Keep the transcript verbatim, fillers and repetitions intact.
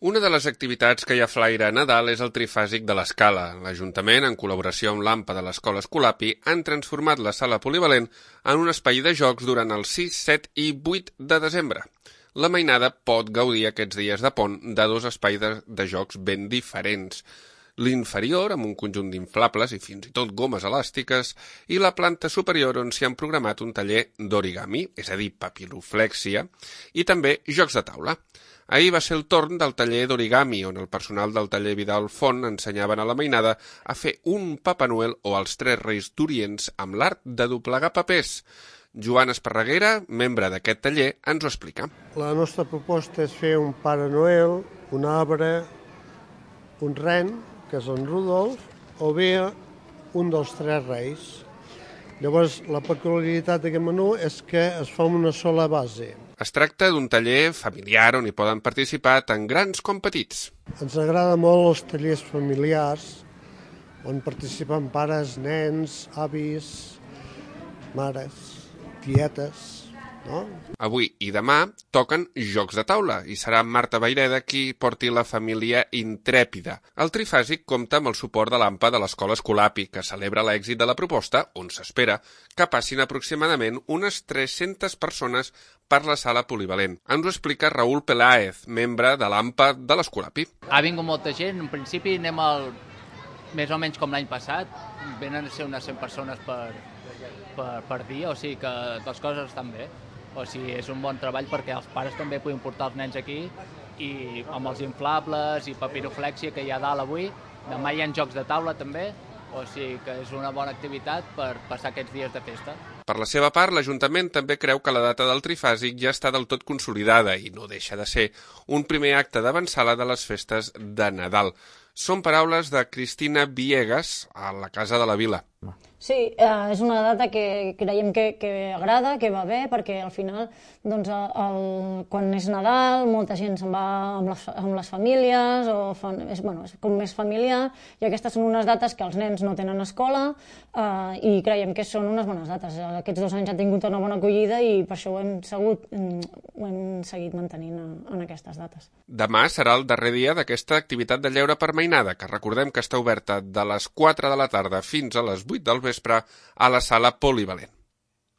Una de les activitats que hi ha flaire a Nadal és el trifàsic de l'Escala. L'Ajuntament, en col·laboració amb l'AMPA de l'Escola Escolapi, han transformat la sala polivalent en un espai de jocs durant els sis, set i vuit de desembre. La mainada pot gaudir aquests dies de pont de dos espais de, de jocs ben diferents. L'inferior, amb un conjunt d'inflables i fins i tot gomes elàstiques, i la planta superior on s'hi han programat un taller d'origami, és a dir, papiroflèxia, i també jocs de taula. Ahir va ser el torn del taller d'origami, on el personal del taller Vidal Font ensenyaven a la mainada a fer un Papa Noel o els Tres Reis d'Orients amb l'art de doblegar papers. Joan Esparreguera, membre d'aquest taller, ens ho explica. La nostra proposta és fer un Pare Noel, un arbre, un ren, que és en Rudolf, o bé un dels Tres Reis. Llavors, la peculiaritat d'aquest menú és que es fa una sola base. Es tracta d'un taller familiar on hi poden participar tant grans com petits. Ens agrada molt els tallers familiars, on participen pares, nens, avis, mares, tietes, no? Avui i demà toquen jocs de taula i serà Marta Vaireda qui porti la família intrèpida. El trifàsic compta amb el suport de l'AMPA de l'Escola Escolapi, que celebra l'èxit de la proposta, on s'espera que passin aproximadament unes tres-centes persones per la sala polivalent. Ens ho explica Raúl Peláez, membre de l'AMPA de l'Escolapi. Ha vingut molta gent, en principi anem al, més o menys com l'any passat, venen a ser unes cent persones per, per, per dia, o sigui que les coses estan bé. O sigui, és un bon treball perquè els pares també puguin portar els nens aquí i amb els inflables i papiroflèxia que hi ha dalt avui. Demà hi ha jocs de taula també, o sigui que és una bona activitat per passar aquests dies de festa. Per la seva part, l'Ajuntament també creu que la data del trifàsic ja està del tot consolidada i no deixa de ser un primer acte d'avançada de les festes de Nadal. Són paraules de Cristina Viegas a la Casa de la Vila. Sí, eh, és una data que creiem que, que agrada, que va bé, perquè al final, doncs, el, quan és Nadal, molta gent se'n va amb les, amb les famílies, o fan, és, bueno, és com més familiar, i aquestes són unes dates que els nens no tenen escola, eh, i creiem que són unes bones dates. Aquests dos anys han tingut una bona acollida i per això ho hem, segut, ho hem seguit mantenint en, en aquestes dates. Demà serà el darrer dia d'aquesta activitat de lleure per mainada, que recordem que està oberta de les quatre de la tarda fins a les vuit del vespre a la sala polivalent.